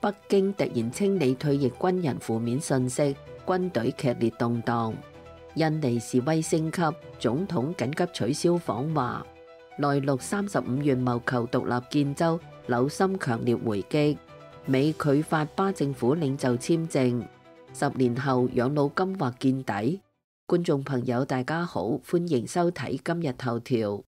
北京突然清理退役軍人負面信息，軍隊劇烈動盪。印尼示威升級，總統緊急取消訪華。內陸35縣謀求獨立建州，紐森強烈回擊。美拒發巴政府領袖簽證。10年後養老金或見底。觀眾朋友大家好，歡迎收睇今日頭條。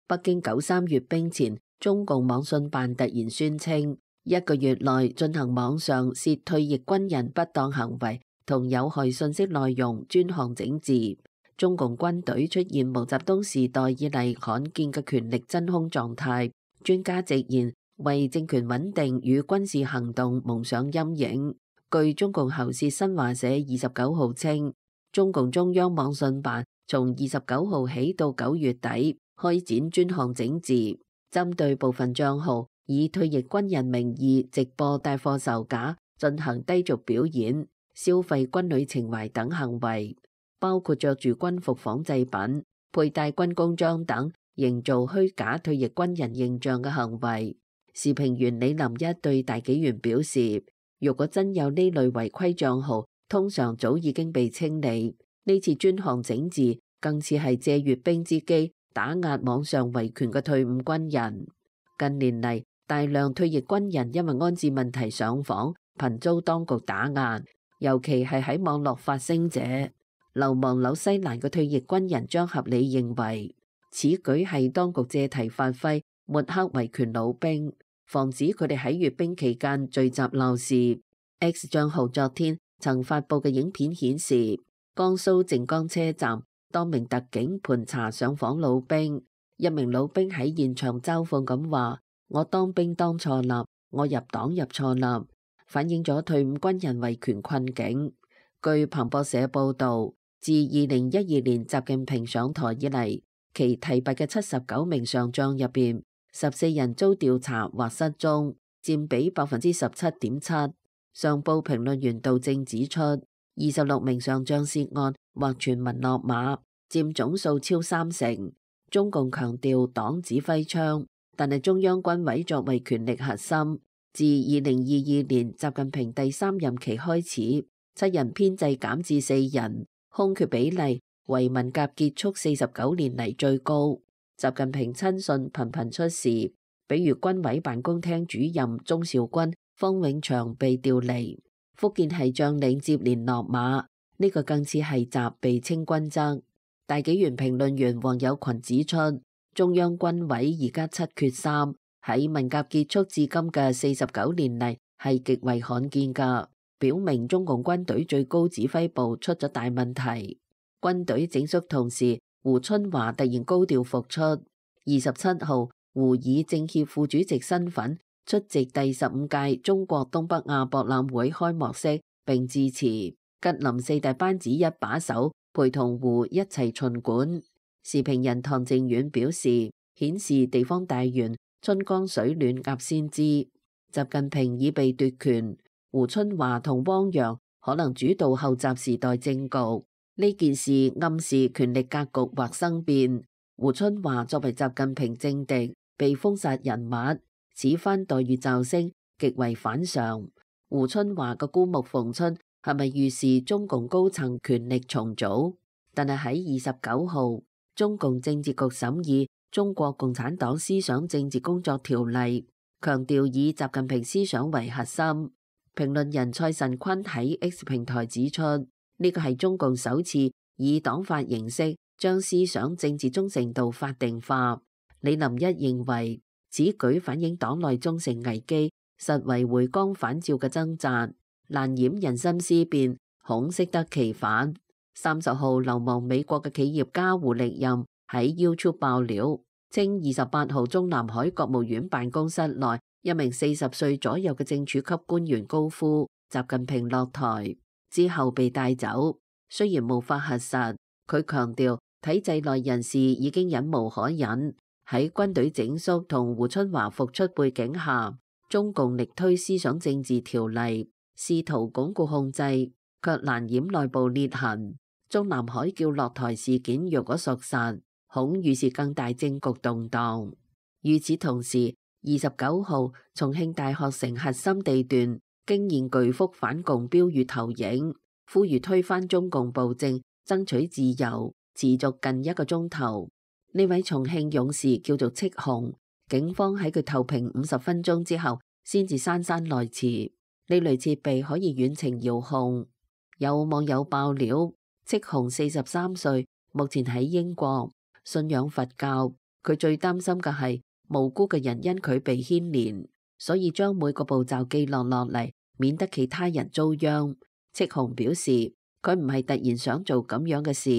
北京93閱兵前，中共網信辦突然宣稱，1個月內進行網上涉退役軍人不當行為同有害信息內容專項整治。中共軍隊出現毛澤東時代以嚟罕見嘅權力真空狀態。專家直言，為政權穩定與軍事行動蒙上陰影。據中共喉舌新華社29號稱，中共中央網信辦從29號起到9月底開展專項整治，針對部分賬號以退役軍人名義直播帶貨售假、進行低俗表演、消費軍旅情懷等行為，包括着住軍服仿製品、佩戴軍功章等，營造虛假退役軍人形象嘅行為。時評員李林一對大紀元表示，如果真有呢類違規賬號，通常早已經被清理。呢次專項整治更似係借閱兵之機打壓網上維權嘅退伍軍人。近年嚟，大量退役軍人因為安置問題上訪，頻遭當局打壓，尤其係喺網絡發聲者。流亡紐西蘭嘅退役軍人張合理認為，此舉係當局借題發揮，抹黑維權老兵，防止佢哋喺閱兵期間聚集鬧事。X 賬號昨天曾發布嘅影片顯示，江蘇靖江車站多名特警盤查上訪老兵，一名老兵喺現場嘲諷咁話：我當兵當錯啦，我入黨入錯啦，反映咗退伍軍人維權困境。據彭博社報導，自2012年習近平上台以嚟，其提拔嘅79名上將入邊，14人遭調查或失蹤，佔比17.7%。上報評論員杜正指出，26名上將涉案或傳聞落馬，佔總數超30%。中共強調黨指揮槍，但係中央軍委作為權力核心，自2022年習近平第3任期開始，7人編制減至4人，空缺比例為文革結束49年嚟最高。習近平親信頻頻出事，比如軍委辦公廳主任鍾兆軍、方永祥被調離，福建系將領接連落馬，呢個更似係習被清軍責。大紀元評論員黃有群指出，中央軍委而家7缺3，喺文革結束至今嘅49年嚟係極為罕見㗎，表明中共軍隊最高指揮部出咗大問題。軍隊整肅同時，胡春華突然高調復出。27號，胡以政協副主席身份出席第15屆中國東北亞博覽會開幕式並致辭，吉林4大班子一把手陪同胡一齊巡館。時評人唐靖遠表示，顯示地方大員春江水暖鴨先知，習近平已被奪權，胡春華同汪洋可能主導後習時代政局。呢件事暗示權力格局或生變。胡春華作為習近平政敵，被封殺人物，此番待遇驟升，極為反常。胡春華嘅孤木逢春係咪預示中共高層權力重組？但係喺29號，中共政治局審議《中國共產黨思想政治工作條例》，強調以習近平思想為核心。評論人蔡慎坤喺 X 平台指出，呢個係中共首次以黨法形式將思想政治忠誠度法定化。李林一認為，此舉反映黨內忠誠危機，實為回光返照嘅掙扎，難掩人心思變，恐適得其反。30號，流亡美國嘅企業家胡力任喺 YouTube 爆料，稱28號中南海國務院辦公室內一名40歲左右嘅正處級官員高呼習近平落台之後被帶走，雖然無法核實，佢強調體制內人士已經忍無可忍。喺軍隊整肅同胡春華復出背景下，中共力推思想政治條例，試圖鞏固控制，卻難掩內部裂痕。中南海叫落台事件若果屬實，恐預示更大政局動盪。與此同時，29號重慶大學城核心地段驚現巨幅反共標語投影，呼籲推翻中共暴政，爭取自由，持續近1個鐘頭。呢位重慶勇士叫做戚紅，警方喺佢投屏50分鐘之後，先至姍姍來遲。呢類設備可以遠程遙控。有網友爆料，戚紅43歲，目前喺英國，信仰佛教。佢最擔心嘅係無辜嘅人因佢被牽連，所以將每個步驟記錄落嚟，免得其他人遭殃。戚紅表示，佢唔係突然想做咁樣嘅事，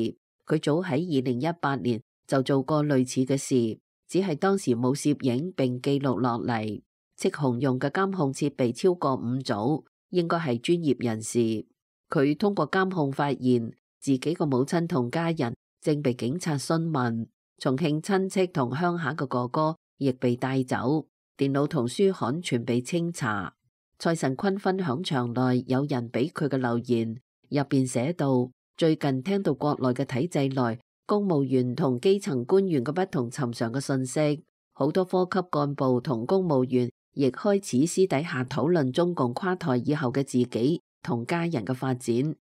佢早喺2018年就做過類似嘅事，只係當時冇攝影並記錄落嚟。戚紅用嘅監控設備超過5組，應該係專業人士。佢通過監控發現自己個母親同家人正被警察詢問，重慶親戚同鄉下嘅哥哥亦被帶走，電腦同書刊全被清查。蔡神坤分享場內有人俾佢嘅留言，入邊寫到：最近聽到國內嘅體制內公務員同基層官員嘅不同尋常嘅信息，好多科級幹部同公務員亦開始私底下討論中共垮台以後嘅自己同家人嘅發展。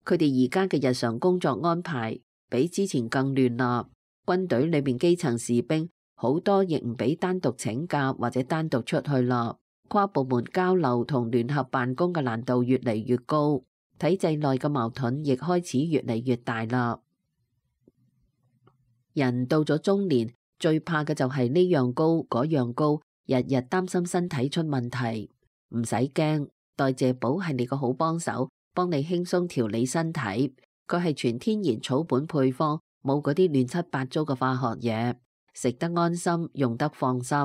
佢哋而家嘅日常工作安排比之前更亂啦。軍隊裏面基層士兵好多亦唔俾單獨請假或者單獨出去啦。跨部門交流同聯合辦公嘅難度越嚟越高，體制內嘅矛盾亦開始越嚟越大啦。人到咗中年，最怕嘅就係呢樣高嗰樣高，日日擔心身體出問題。唔使驚，代謝寶係你個好幫手，幫你輕鬆調理身體。佢係全天然草本配方，冇嗰啲亂七八糟嘅化學嘢，食得安心，用得放心。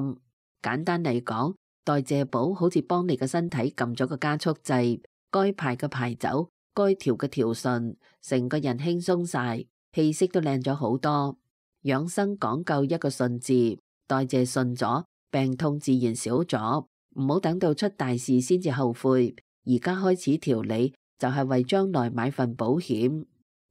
簡單嚟講，代謝寶好似幫你嘅身體撳咗個加速掣，該排嘅排走，該調嘅調順，成個人輕鬆晒，氣色都靚咗好多。養生講究一個順字，代謝順咗，病痛自然少咗。唔好等到出大事先至後悔，而家開始調理就係為將來買份保險。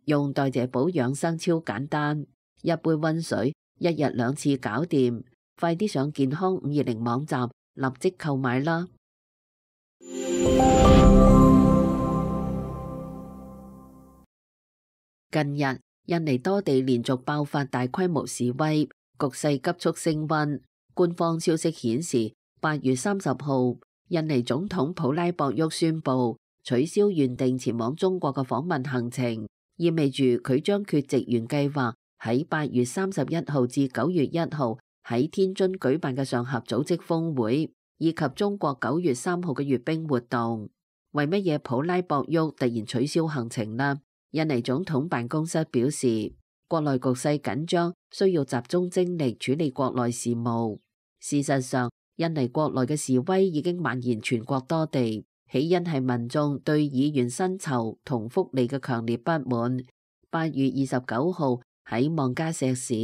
用代謝寶養生超簡單，一杯溫水，1日2次搞掂。快啲上健康520網站立即購買啦！近日印尼多地連續爆發大規模示威，局勢急速升溫。官方消息顯示，8月30號，印尼總統普拉博沃宣布取消原定前往中國嘅訪問行程，意味住佢將缺席原計劃喺8月31號至9月1號喺天津舉辦嘅上合組織峰會，以及中國9月3號嘅閱兵活動。為乜嘢普拉博沃突然取消行程呢？印尼總統辦公室表示，國內局勢緊張，需要集中精力處理國內事務。事實上，印尼國內嘅示威已經蔓延全國多地，起因係民眾對議員薪酬同福利嘅強烈不滿。8月29號喺望加石市，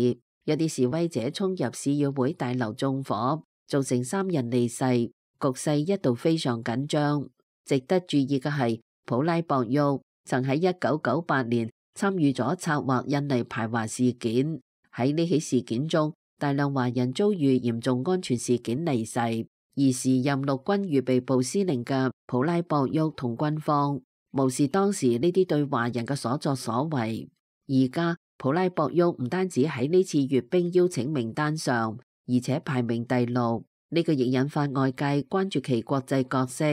有啲示威者衝入市議會大樓縱火，造成3人離世，局勢一度非常緊張。值得注意嘅係，普拉博沃曾喺1998年參與咗策劃印尼排華事件。喺呢起事件中，大量華人遭遇嚴重安全事件離世，而時任陸軍預備部司令嘅普拉博沃同軍方無視當時呢啲對華人嘅所作所為。而家普拉博沃唔單止喺呢次閱兵邀請名單上，而且排名第6，呢個亦引發外界關注其國際角色。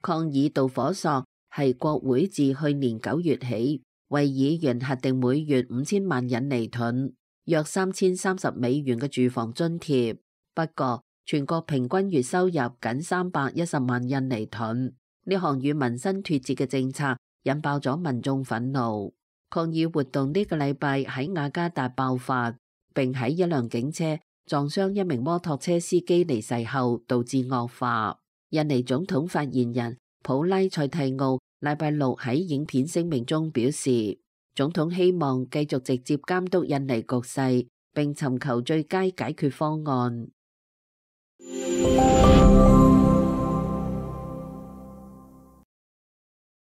抗議導火索係國會自去年9月起為議員核定每月5000萬印尼盾，約3030美元嘅住房津貼。不過全國平均月收入僅310萬印尼盾，呢項與民生脫節嘅政策引爆咗民眾憤怒。抗議活動呢個禮拜喺雅加達爆發，並喺一輛警車撞傷一名摩托車司機離世後導致惡化。印尼總統發言人普拉塞蒂奧禮拜6喺影片聲明中表示，總統希望繼續直接監督印尼局勢，並尋求最佳解決方案。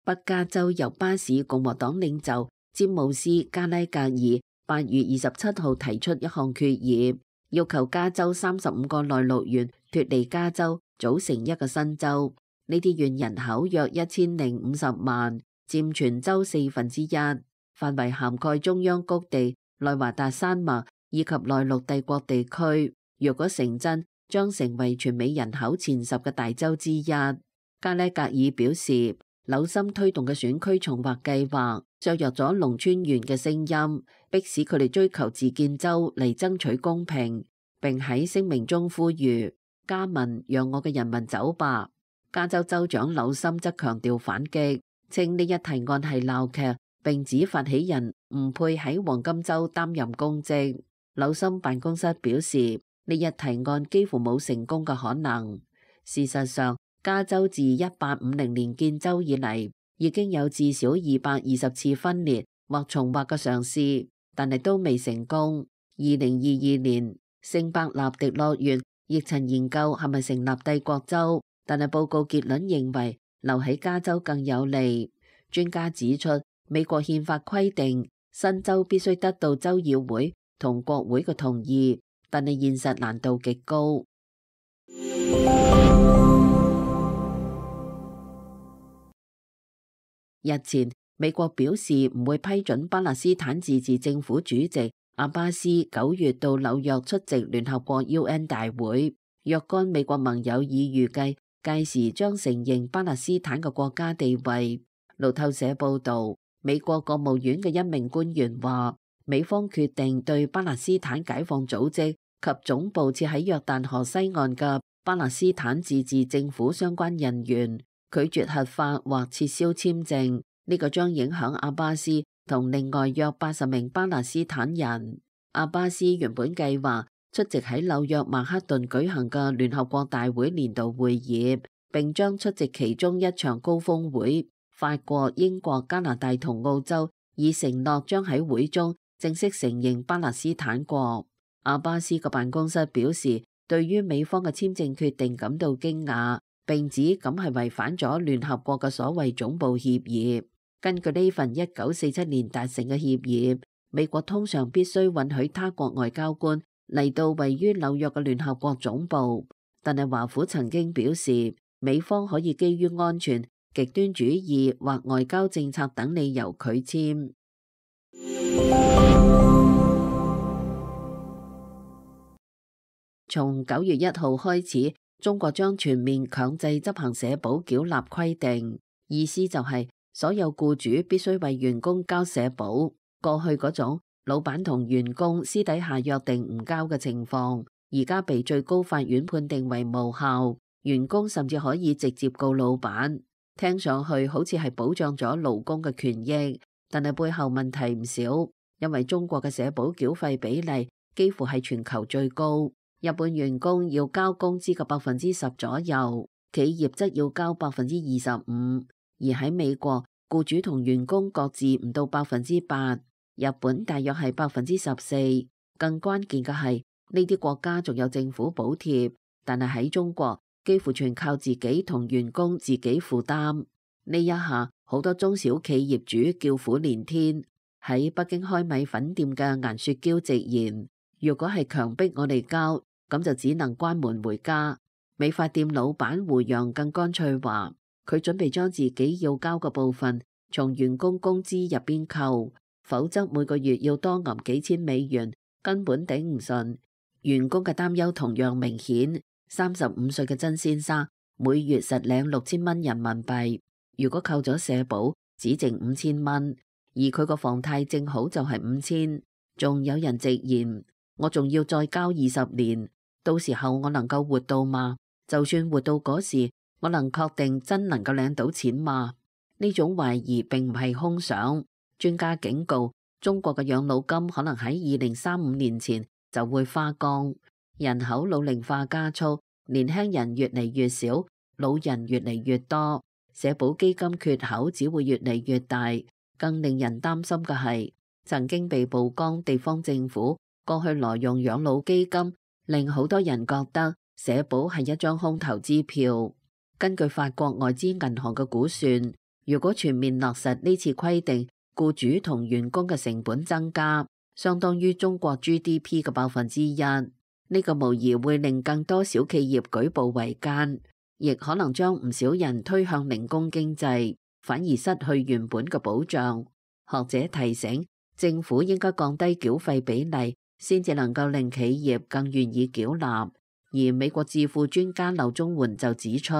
北加州由巴士共和黨領袖詹姆斯加拉格爾8月27號提出一項決議，要求加州35個內陸縣脫離加州，組成一個新州。呢啲縣人口約1050萬，佔全州1/4，範圍涵蓋中央谷地、內華達山脈以及內陸帝國地區。若果成真，將成為全美人口前10個大州之一。加拉格爾表示，紐森推動嘅選區重劃計劃削弱咗農村縣嘅聲音，迫使佢哋追求自建州嚟爭取公平。並喺聲明中呼籲加民讓我嘅人民走吧。加州州長紐森則強調反擊，稱呢一提案係鬧劇，並指發起人唔配喺黃金州擔任公職。紐森辦公室表示，呢一提案幾乎冇成功嘅可能。事實上，加州自1850年建州以嚟，已經有至少220次分裂或重劃嘅嘗試，但係都未成功。2022年，聖伯納迪諾縣亦曾研究係咪成立帝國州，但係報告結論認為留喺加州更有利。專家指出，美國憲法規定新州必須得到州議會同國會嘅同意，但係現實難度極高。日前，美國表示唔會批准巴勒斯坦自治政府主席阿巴斯9月到紐約出席聯合國 UN 大會。若干美國盟友已預計屆時將承認巴勒斯坦嘅國家地位。路透社報導，美國國務院嘅一名官員話，美方決定對巴勒斯坦解放組織及總部設喺約旦河西岸嘅巴勒斯坦自治政府相關人員拒絕核發或撤銷簽證，呢個將影響阿巴斯同另外約80名巴勒斯坦人。阿巴斯原本計劃出席喺紐約曼克頓舉行嘅聯合國大會年度會議，並將出席其中一場高峰會。法國、英國、加拿大同澳洲已承諾將喺會中正式承認巴勒斯坦國。阿巴斯嘅辦公室表示，對於美方嘅簽證決定感到驚訝，並指咁係違反咗聯合國嘅所謂總部協議。根據呢份1947年達成嘅協議，美國通常必須允許他國外交官嚟到位於紐約嘅聯合國總部，但係華府曾經表示，美方可以基於安全、極端主義或外交政策等理由拒簽。從9月1號開始，中國將全面強制執行社保繳納規定，意思就係所有僱主必須為員工交社保。過去嗰種老闆同員工私底下約定唔交嘅情況，而家被最高法院判定為無效，員工甚至可以直接告老闆。聽上去好似係保障咗勞工嘅權益，但係背後問題唔少，因為中國嘅社保繳費比例幾乎係全球最高。日本員工要交工資嘅10%左右，企業則要交25%，而喺美國，僱主同員工各自唔到8%，日本大約係14%。更關鍵嘅係呢啲國家仲有政府補貼，但係喺中國幾乎全靠自己同員工自己負擔。呢一下好多中小企業主叫苦連天。喺北京開米粉店嘅顏雪嬌直言，如果係強迫我哋交，咁就只能關門回家。美髮店老闆胡楊更乾脆話，佢準備將自己要交嘅部分從員工工資入邊扣，否則每個月要多揞幾千美元，根本頂唔順。員工嘅擔憂同樣明顯。35歲嘅曾先生每月實領6000蚊人民幣，如果扣咗社保，只剩5000蚊，而佢個房貸正好就係5000。仲有人直言，我仲要再交20年。到時候我能夠活到嗎？就算活到嗰時，我能確定真能夠領到錢嗎？呢種懷疑並唔係空想。專家警告，中國嘅養老金可能喺2035年前就會花光。人口老齡化加速，年輕人越嚟越少，老人越嚟越多，社保基金缺口只會越嚟越大。更令人擔心嘅係，曾經被曝光地方政府過去挪用養老基金，令好多人覺得社保係一張空頭支票。根據法國外資銀行嘅估算，如果全面落實呢次規定，僱主同員工嘅成本增加，相當於中國 GDP 嘅1%。呢個無疑會令更多小企業舉步維艱，亦可能將唔少人推向零工經濟，反而失去原本嘅保障。學者提醒，政府應該降低繳費比例，先至能夠令企業更願意繳納。而美國智庫專家劉宗媛就指出，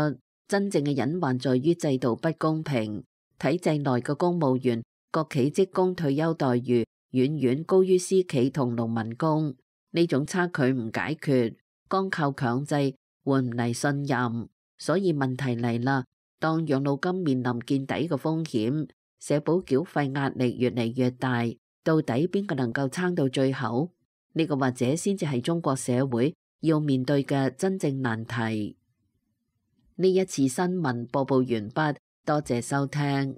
真正嘅隱患在於制度不公平，體制內嘅公務員、國企職工退休待遇遠遠高於私企同農民工。呢種差距唔解決，光靠強制換唔嚟信任，所以問題嚟啦。當養老金面臨見底嘅風險，社保繳費壓力越嚟越大，到底邊個能夠撐到最後？呢個或者先至係中國社會要面對嘅真正難題。呢一次新聞播報完畢，多謝收聽。